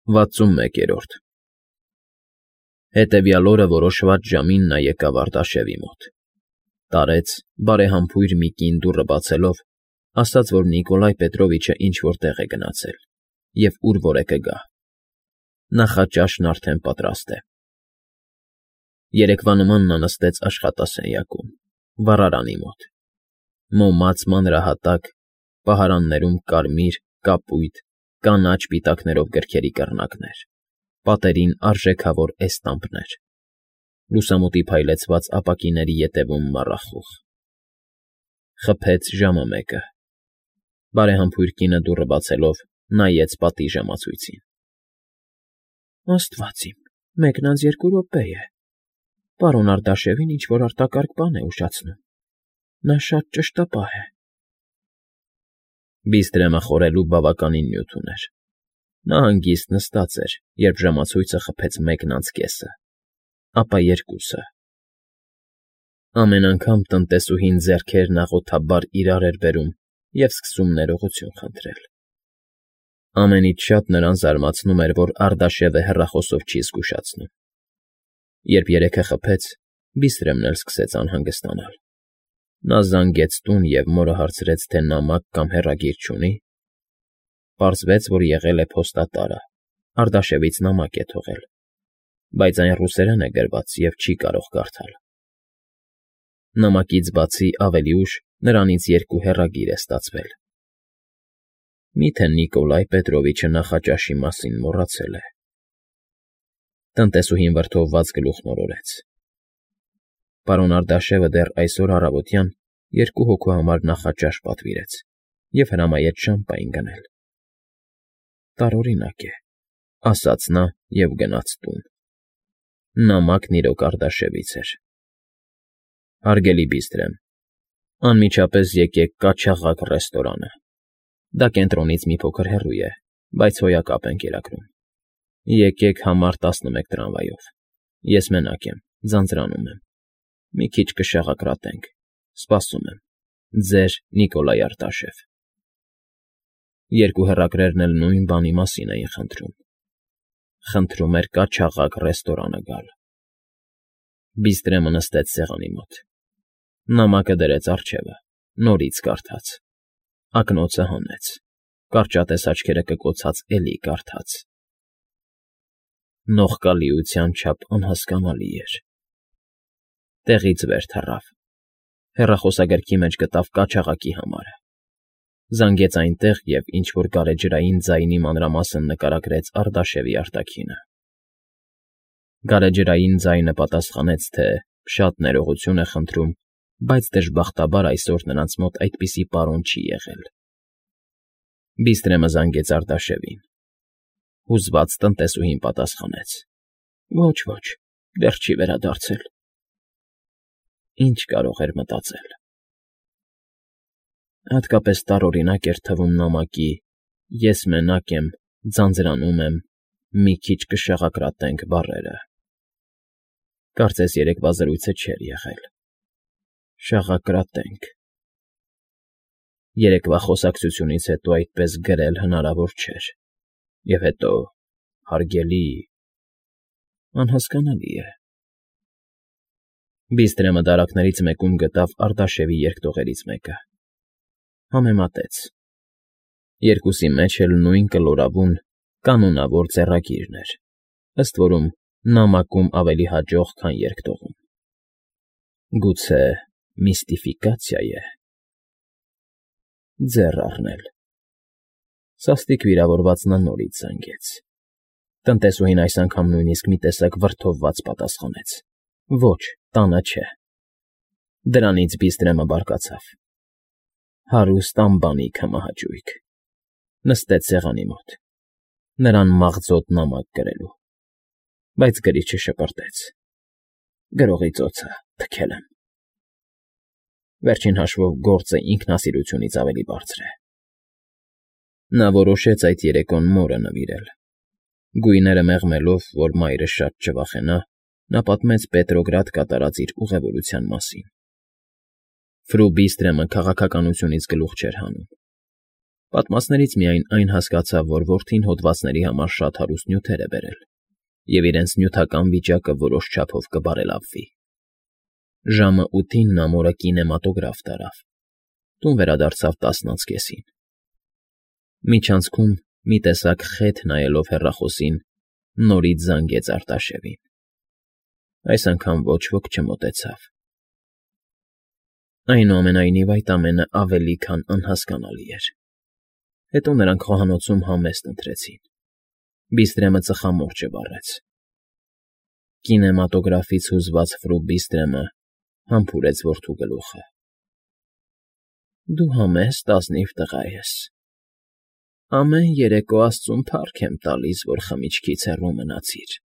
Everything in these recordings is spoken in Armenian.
61-րդ Հետևյալ օրը որոշված ժամին նա եկավ Արտաշևի մոտ, տարեց, բարեհամբույր մի կին դուռը բացելով, ասաց, որ Նիկոլայ Պետրովիչը ինչ֊որ տեղ է գնացել և ուր որ է կգա. նախաճաշն արդեն պատրաստ է։ Երեկվա նման նա նստեց աշխատասենյակում, վառարանի մոտ, մոմած մանրահատակ, պահարաններում կարմիր, կապույտ, կանաչ պիտակներով գրքերի կռնակներ, պատերին արժեքավոր էստամպներ, լուսամուտի փայլեցված ապակիների ետևում մառախուղ։ Խփեց ժամը 1-ը։ Բարեհամբույր կինը դուռը բացելով նայեց պատի ժամացույցին։ Աստված իմ, 1:02 րոպե է։ Պարոն Արտաշևին ինչ֊որ արտակարգ բան է ուշացնում։ Նա շատ ճշտապահ է։ Բիստրեմը խորելու բավականին նյութ ուներ։ Նա հանգիստ նստած էր, երբ ժամացույցը խփեց 1:04, ապա 2-ը։ Ամեն անգամ տնտեսուհին ձեռքերն աղոթաբար իրար էր բերում և սկսում ներողություն խնդրել։ Ամենից շատ նրան զարմացնում էր, որ Արտաշևը հեռախոսով չի զգուշացնում։ Երբ 3-ը խփեց, Բիստրեմն էլ սկսեց անհանգստանալ։ Նա զանգեց տուն և մորը հարցրեց, թե նամակ կամ հեռագիր չունի։ Պարզվեց, որ եղել է փոստատարը, Արտաշևից նամակ է թողել, բայց այն ռուսերեն է գրված և չի կարող կարդալ։ Նամակից բացի ավելի ուշ նրանից 2 հեռագիր է ստացվել։ Միթե Նիկոլայ Պետրովիչը նախաճաշի մասին մոռացել է։ Տնտեսուհին վրդովված գլուխն օրորեց։ Պարոն Արտաշևը դեռ այսօր առավոտյան 2 հոգու համար նախաճաշ պատվիրեց և հրամայեց շամպայն գնել։ Տարօրինակ է, ասաց նա և գնաց տուն։ Նամակն իրոք Արտաշևից էր։ Հարգելի Բիստրեմ, անմիջապես եկեք Կաչաղակ ռեստորանը։ Դա կենտրոնից մի փոքր հեռու է, բայց հոյակապ են կերակրում։ Եկեք համար 11 տրամվայով։ Ես մենակ եմ, ձանձրանում եմ։ Մի քիչ կշաղակրատենք։ Սպասում եմ։ Ձեր Նիկոլայ Արտաշև։ 2 հեռագրերն էլ նույն բանի մասին էին խնդրում։ Խնդրում էր Կաչաղակ ռեստորանը գալ։ Բիստրեմը նստեց սեղանի մոտ։ Նամակը դրեց առջևը, նորից կարդաց։ Ակնոցը հանեց, կարճատես աչքերը կկոցած էլի կարդաց։ Նողկալիության չափ անհասկանալի էր։ Տեղից վեր թռավ։ Հեռախոսագրքի մեջ գտավ Կաչաղակի համարը։ Զանգեց այնտեղ և ինչ֊որ գարեջրային ձայնի մանրամասն նկարագրեց Արտաշևի արտաքինը։ Գարեջրային ձայնը պատասխանեց, թե շատ ներողություն է խնդրում, բայց դժբախտաբար այսօր նրանց մոտ այդպիսի պարոն չի եղել։ Բիստրեմը զանգեց Արտաշևին։ Հուզված տնտեսուհին պատասխանեց. Ոչ, դեռ չի վերադարձել։ Ինչ կարող էր մտածել։ Հատկապես տարօրինակ էր թվում նամակի «Ես մենակ եմ, ձանձրանում եմ, մի քիչ կշաղակրատենք» բառերը։ Կարծես երեկվա զրույցը չէր եղել։ Շաղակրատենք։ Երեկվա խոսակցությունից հետո այդպես գրել հնարավոր չէր։ Եվ հետո, հարգելի… անհասկանալի է։ Բիստրեմը դարակներից մեկում գտավ Արտաշևի երկտողերից մեկը։ Համեմատեց։ Երկուսի մեջ էլ նույն կլորավուն, կանոնավոր ձեռագիրն էր, ըստ որում նամակում ավելի հաջող, քան երկտողում։ Գուցե միստիֆիկացիա է։ Ձեռ առնել։ Սաստիկ վիրավորված նա նորից զանգեց։ Տնտեսուհին այս անգամ նույնիսկ մի տեսակ վրդովված պատասխանեց. Ոչ, տանը չէ։ Դրանից Բիստրեմը բարկացավ։ Հարուստ անբանիկ հմահաճույք։ Նստեց սեղանի մոտ, նրան մաղձոտ նամակ գրելու, բայց գրիչը շպրտեց։ Գրողի ծոցը թքել եմ։ Վերջին հաշվով գործը ինքնասիրությունից ավելի բարձր է։ Նա որոշեց այդ երեկոն մորը նվիրել։ Գույները մեղմելով, որ մայրը շատ չվախենա, նա պատմեց Պետրոգրադ կատարած իր ուղևորության մասին։ Ֆրու Բիստրեմը քաղաքականությունից գլուխ չէր հանում։ Պատմածներից միայն այն հասկացավ, որ որդին հոդվածների համար շատ հարուստ նյութեր է բերել, և իրենց նյութական վիճակը որոշ չափով կբարելավվի։ Ժամը 8-ին նա մորը կինեմատոգրաֆ տարավ, տուն վերադարձավ 10:30-ին։ Միջանցքում, մի տեսակ խեթ նայելով հեռախոսին, նորից զանգեց Արտաշևին։ Այս անգամ ոչ ոք չմոտեցավ։ Այնուամենայնիվ այդ ամենը ավելի քան անհասկանալի էր։ Հետո նրանք խոհանոցում համեստ ընթրեցին։ Բիստրեմը ծխամորճը վառեց։ Կինեմատոգրաֆից հուզված Ֆրու Բիստրեմը համբուրեց որդու գլուխը։ Դու համեստ ազնիվ տղա ես։ Ամեն երեկո Աստծուն փառք եմ տալիս, որ խմիչքից հեռու մնացիր։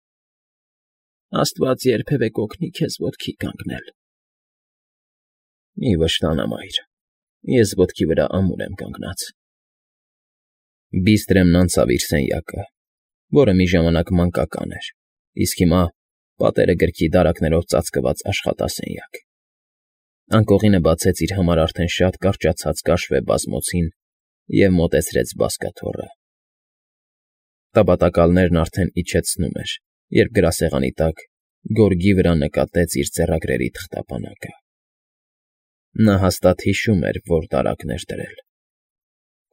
Աստված երբևէ կօգնի քեզ ոտքի կանգնել։ Մի վշտանա, մայր, ես ոտքի վրա ամուր եմ կանգնած։ Բիստրեմն անցավ իր սենյակը, որը մի ժամանակ մանկական էր, իսկ հիմա պատերը գրքի դարակներով ծածկված աշխատասենյակ։ Անկողինը բացեց իր համար արդեն շատ կարճացած կաշվե բազմոցին և մոտեցրեց բազկաթոռը։ Տապատակալներն արդեն իջեցնում էր, երբ գրասեղանի տակ գորգի վրա նկատեց իր ձեռագրերի թղթապանակը։ Նա հաստատ հիշում էր, որ դարակն էր դրել։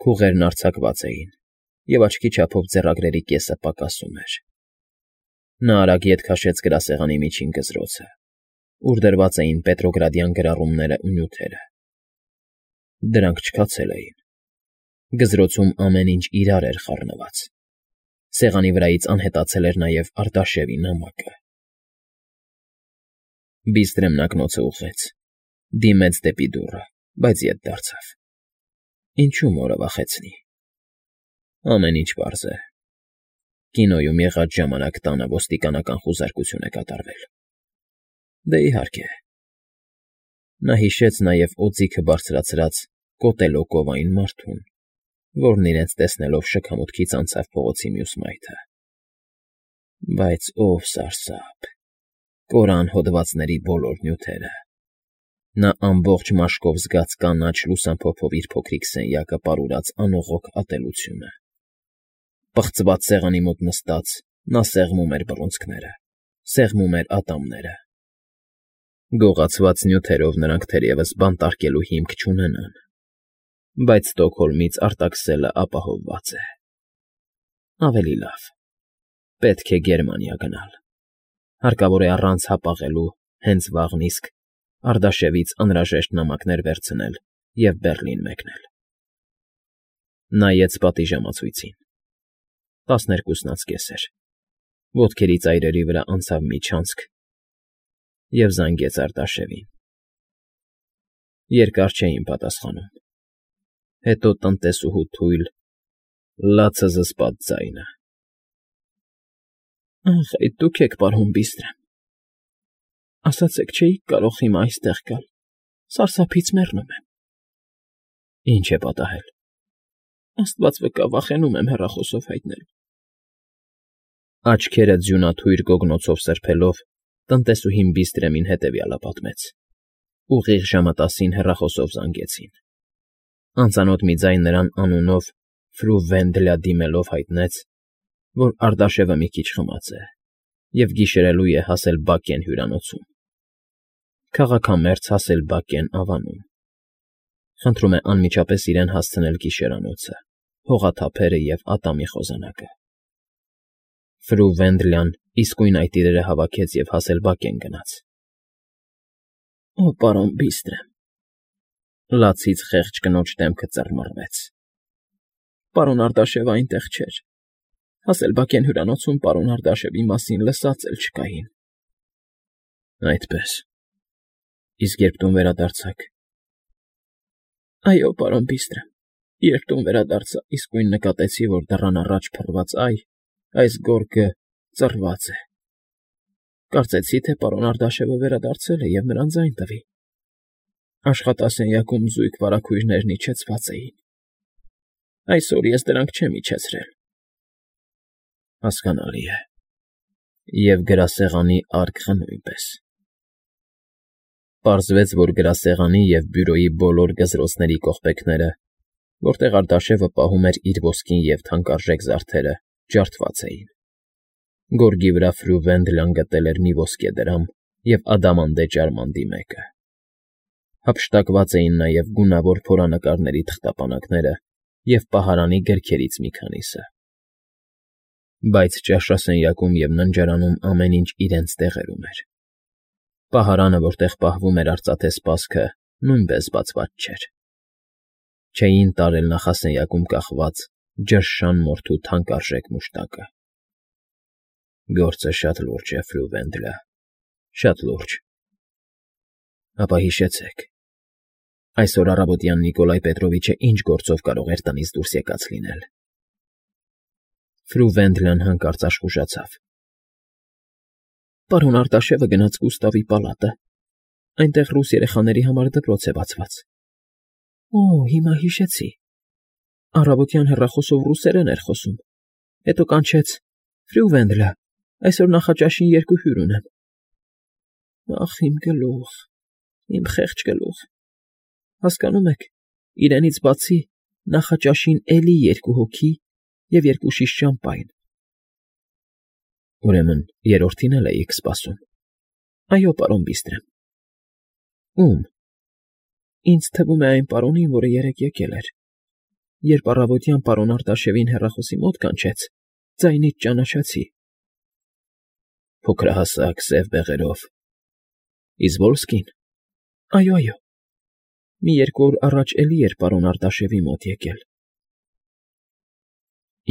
Քուղերն արձակված էին, և աչքի չափով ձեռագրերի կեսը պակասում էր։ Նա արագ ետ քաշեց գրասեղանի միջին գզրոցը, ուր դրված էին պետրոգրադյան գրառումներն ու նյութերը։ Դրանք չքացել էին։ Գզրոցում ամեն ինչ իրար էր խառնված։ Սեղանի վրայից անհետացել էր նաև Արտաշևի նամակը։ Բիստրեմն ակնոցը ուղղեց, դիմեց դեպի դուռը, բայց ետ դարձավ։ Ինչու մորը վախեցնի։ Ամեն ինչ պարզ է։ Կինոյում եղած ժամանակ տանը ոստիկանական խուզարկություն է կատարվել։ Դե իհարկե։ Նա հիշեց նաև օձիքը բարձրացրած կոտելոկովային մարդուն, որն իրենց տեսնելով շքամուտքից անցավ փողոցի մյուս մայթը։ Բայց ով սարսափ, կորան հոդվածների բոլոր նյութերը։ Նա ամբողջ մաշկով զգաց կանաչ լուսամփոփով իր փոքրիկ սենյակը պարուրած անողոք ատելությունը։ Պղծված սեղանի մոտ նստած՝ նա սեղմում էր բռունցքները, սեղմում էր ատամները։ Գողացված նյութերով նրանք թերևս բանտարկելու հիմք չունենան, բայց Ստոկհոլմից արտաքսելը ապահովված է։ Ավելի լավ, պետք է Գերմանիա գնալ։ Հարկավոր է առանց հապաղելու հենց վաղն իսկ Արտաշևից անհրաժեշտ նամակներ վերցնել և Բեռլին մեկնել։ Նայեց պատիժամացույցին։ 12:30 էր։ Ոտքերի ծայրերի վրա անցավ մի չանցք և զանգեց Արտաշևին։ Երկար չէին պատասխանում։ Հետո տնտեսուհու թույլ, լացը զսպած ձայնը. Ախ, այդ դուք եք, պարոն Բիստրեմ։ Ասացեք, չէի՞ք կարող հիմա այստեղ գալ, սարսափից մեռնում եմ։ Ինչ է պատահել։ Աստված վկա, վախենում եմ հեռախոսով հայտնել։ Աչքերը ձյունաթույր գոգնոցով սրբելով, տնտեսուհին Բիստրեմին հետևյալը պատմեց։ Ուղիղ ժամը 10-ին հեռախոսով զանգեցին։ Անծանոթ մի ձայն նրան անունով Ֆրու Վենդլյա դիմելով հայտնեց, որ Արտաշևը մի քիչ խմած է և գիշերելու է հասել Բակեն հյուրանոցում։ Քաղաքամերձ հասել Բակեն ավանում։ Խնդրում է անմիջապես իրեն հասցնել գիշերանոցը, հողաթափերը և ատամի խոզանակը։ Ֆրու Վենդլյան իսկույն այդ իրերը հավաքեց և հասել Բակեն գնաց։ Օ, պարոն Բիստրեմ։ Լացից խեղճ կնոջ դեմքը ծռմռվեց։ Պարոն Արտաշևը այնտեղ չէր։ Հասել Բակեն հյուրանոցում պարոն Արտաշևի մասին լսած էլ չկային։ Այդպե՞ս։ Իսկ երբ տուն վերադարձաք։ Այո, պարոն Բիստրեմ, երբ տուն վերադարձա, իսկույն նկատեցի, որ դռան առաջ փռված այս գորգը ծռված է։ Կարծեցի, թե պարոն Արտաշևը վերադարձել է և նրան ձայն տվի։ Աշխատասենյակում զույգ վարագույրներն իջեցված էին։ Այսօր ես դրանք չեմ իջեցրել։ Հասկանալի է։ Եվ գրասեղանի արկղը նույնպես։ Պարզվեց, որ գրասեղանի և բյուրոյի բոլոր գզրոցների կողպեքները որտեղ Արտաշևը պահում էր իր ոսկին և թանկարժեք զարդերը, ջարդված էին։ Գորգի վրա Ֆրյուվենդլան գտել էր մի ոսկեդրամ և ադամանդե ջարմանդի մեկը։ Հափշտակված էին նաև գունավոր փորանկարների թղթապանակները և պահարանի գրքերից մի քանիսը։ Բայց ճաշասենյակում և ննջարանում ամեն ինչ իրենց տեղերում էր։ Պահարանը, որտեղ պահվում էր արծաթե սպասքը, նույնպես բացված չէր։ Չէին տարել նախասենյակում կախված ջրշան մորթու թանկարժեք մուշտակը։ Գործը շատ լուրջ է, Ֆրյուվենդլը, շատ լուրջ։ Ապա հիշեցեք, այսօր առավոտյան Նիկոլայ Պետրովիչը ինչ գործով կարող էր տնից դուրս եկած լինել։ Ֆրյուվենդլան հանկարծ աշխուժացավ։ Պարոն Արտաշևը գնաց Գուստավի պալատը։ Այնտեղ ռուս երեխաների համար դպրոց է բացված։ Օ, հիմա հիշեցի։ Առավոտյան հեռախոսով ռուսերեն էր խոսում։ Հետո կանչեց. Ֆրյուվենդլը, այսօր նախաճաշին 2 հյուր ունեմ։ Ախ, իմ գլուխ, իմ խեղճ գլուխ։ Հասկանում եք, իրենից բացի նախաճաշին էլի 2 հոգի և 2 շիշ շամպայն։ Ուրեմն երրորդին էլ էիք սպասում։ Այո, պարոն Բիստրեմ։ Ում։ Ինձ թվում է այն պարոնին, որը երեկ եկել էր։ Երբ առավոտյան պարոն Արտաշևին հեռախոսի մոտ կանչեց, ձայնից ճանաչացի։ Փոքրահասակ, սև բեղերով։ Իզվոլսկին։ Այո, այո։ Մի 2 օր առաջ էլի էր պարոն Արտաշևի մոտ եկել։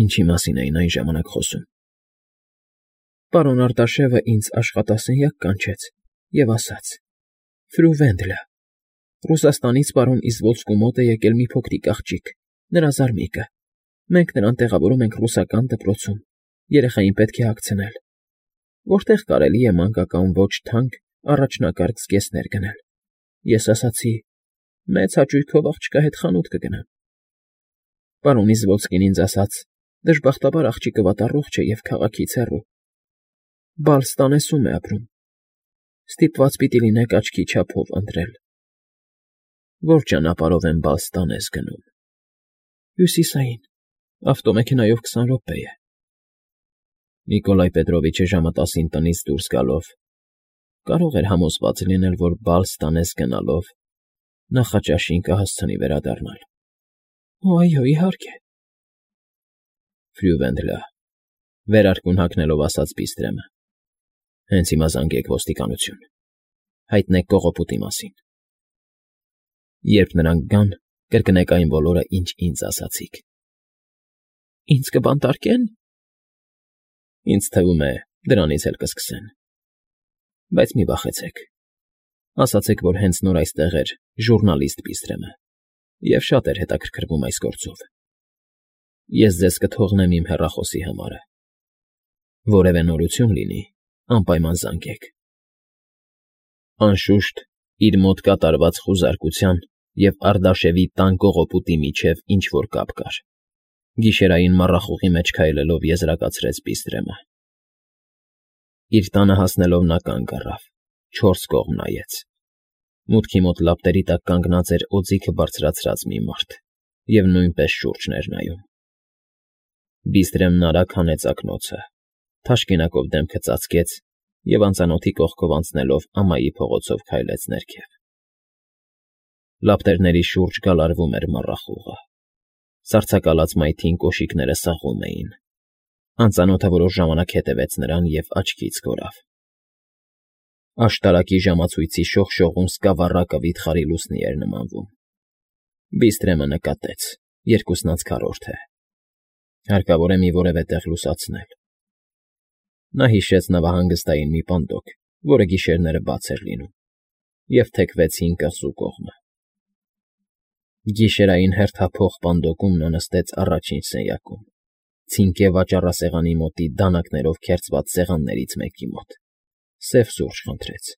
Ինչի մասին էին այն ժամանակ խոսում։ Պարոն Արտաշևը ինձ աշխատասենյակ կանչեց և ասաց. Ֆրյուվենդլը, Ռուսաստանից պարոն Իզվոլսկու մոտ է եկել մի փոքրիկ աղջիկ, նրա զարմիկը։ Մենք նրան տեղավորում ենք ռուսական դպրոցում, երեխային պետք է հագցնել, որտեղ կարելի է մանկական ոչ թանկ առաջնակարգ զգեստներ գնել։ Ես ասացի. մեծ հաճույքով աղջկա հետ խանութ կգնամ։ Պարոն Իզվոլսկին ինձ ասաց. դժբախտաբար աղջիկը վատառողջ է և քաղաքից հեռու։ Բալստանեսում է ապրում։ Ստիպված պիտի լինեք աչքի չափով ընտրել։ Ո՞ր ճանապարհով են Բալստանես գնում։ Հյուսիսային, ավտոմեքենայով 20 րոպե է։ Նիկոլայ Պետրովիչը ժամը 10-ին տնից դուրս գալով կարող էր համոզված լինել, որ Բալստանես գնալով նախաճաշին կհասցնի վերադառնալ։ Այո, իհարկե։ Ֆրյուվենդլը, վերարկուն հագնելով ասաց Բիստրեմը։ Հենց հիմա զանգեք ոստիկանություն։ Հայտնեք կողոպուտի մասին։ Երբ նրանք գան, կրկնեք այն բոլորը, ինչ ինձ ասացիք։ Ինձ կբանտարկե՞ն։ Ինձ թվում է, դրանից էլ կսկսեն։ Բայց մի վախեցեք։ Ասացեք, որ հենց նոր այստեղ էր ժուռնալիստ Բիստրեմը և շատ էր հետաքրքրվում այս գործով։ Ես ձեզ կթողնեմ իմ հեռախոսի համարը։ Որևէ նորություն լինի, անպայման զանգեք։ Անշուշտ, իր մոտ կատարված խուզարկության և Արտաշևի տան կողոպուտի միջև ինչ֊որ կապ կար։ Գիշերային մառախուղի մեջ քայլելով եզրակացրեց Բիստրեմը։ Իր տանը հասնելով նա կանգ առավ, 4 կողմ նայեց։ Մուտքի մոտ լապտերի տակ կանգնած էր օձիքը բարձրացրած մի մարդ և նույնպես շուրջն էր նայում։ Բիստրեմն արագ հանեց ակնոցը, թաշկինակով դեմքը ծածկեց և անծանոթի կողքով անցնելով ամայի փողոցով քայլեց ներքև։ Լապտերների շուրջ գալարվում էր մառախուղը։ Սառցակալած մայթին կոշիկները սաղում էին։ Անծանոթը որոշ ժամանակ հետևեց նրան և աչքից կորավ։ Աշտարակի ժամացույցի շողշողուն սկավառակը վիթխարի լուսնի էր նմանվում։ Բիստրեմը նկատեց. 2/4 է։ Հարկավոր է մի որևէ տեղ լուսացնել։ Նա հիշեց նավահանգստային մի պանդոկ, որը գիշերները բաց էր լինում, և թեքվեց հին կղզու կողմը։ Գիշերային հերթափոխ պանդոկում նա նստեց առաջին սենյակում, ցինկե վաճառասեղանի մոտի դանականերով քերծված սեղաններից մեկի մոտ, սև սուրճ խնդրեց։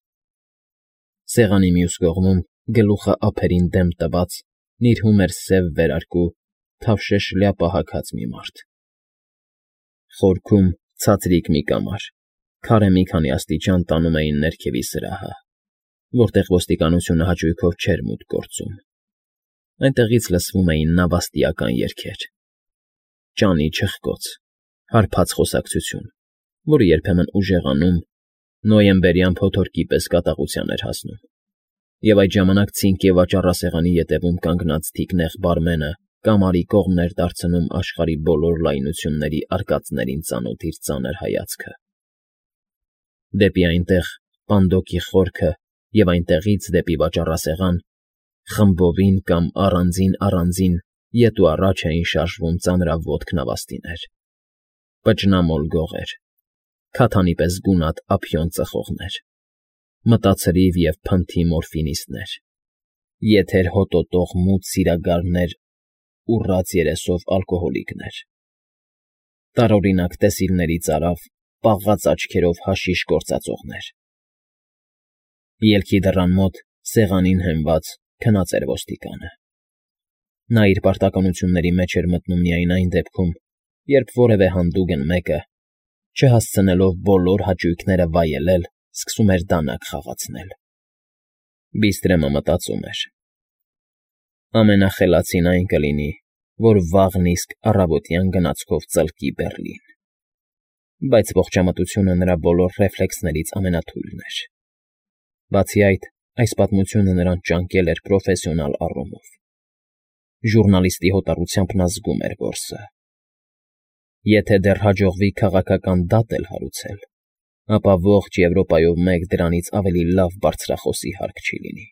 Սեղանի մյուս կողմում, գլուխը ափերին դեմ տված, նիրհում էր սև վերարկու, թավշե շլյապա հագած մի մարդ։ Խորքում ցածրիկ մի կամար, քարե մի քանի աստիճան տանում էին ներքևի սրահը, որտեղ ոստիկանությունը հաճույքով չէր մուտք գործում։ Այնտեղից լսվում էին նավաստիական երգեր, ճանի չխկոց, հարբած խոսակցություն, որը երբեմն ուժեղանում, նոյեմբերյան փոթորկի պես կատաղության էր հասնում, և այդ ժամանակ ցինկե վաճառասեղանի ետևում կանգնած թիկնեղ բարմենը կամարի կողմն էր դարձնում աշխարհի բոլոր լայնությունների արկածներին ծանոթ իր ծանր հայացքը, դեպի այնտեղ պանդոկի խորքը և այնտեղից դեպի վաճառասեղան, խմբովին կամ առանձին ետ ու առաջ էին շարժվում ծանրաոտք նավաստիներ, պճնամոլ գողեր, քաթանի պես գունատ ափիոն ծխողներ, մտացրիվ և փնթի մորֆինիստներ, եթեր հոտոտող մութ սիրագարներ ուռած երեսով ալկոհոլիկներ, տարօրինակ տեսիլներից արավ, պաղած աչքերով հաշիշ գործածողներ։ Ելքի դռան մոտ, սեղանին հենված, քնած էր ոստիկանը։ Նա իր պարտականությունների մեջ էր մտնում միայն այն դեպքում, երբ որևէ հանդուգն մեկը, չհասցնելով բոլոր հաճույքները վայելել, սկսում էր դանակ խաղացնել։ Բիստրեմը մտածում էր. ամենախելացին այն կլինի, որ վաղն իսկ առավոտյան գնացքով ծլկի Բեռլին, բայց ողջամտությունը նրա բոլոր ռեֆլեքսներից ամենաթույլն էր։ Բացի այդ, այս պատմությունը նրան ճանկել էր պրոֆեսիոնալ առումով։ Ժուռնալիստի հոտառությամբ նա զգում էր որսը։ Եթե դեռ հաջողվի քաղաքական դատ էլ հարուցել, ապա ողջ Եվրոպայով մեկ դրանից ավելի լավ բարձրախոսի հարկ չի լինի։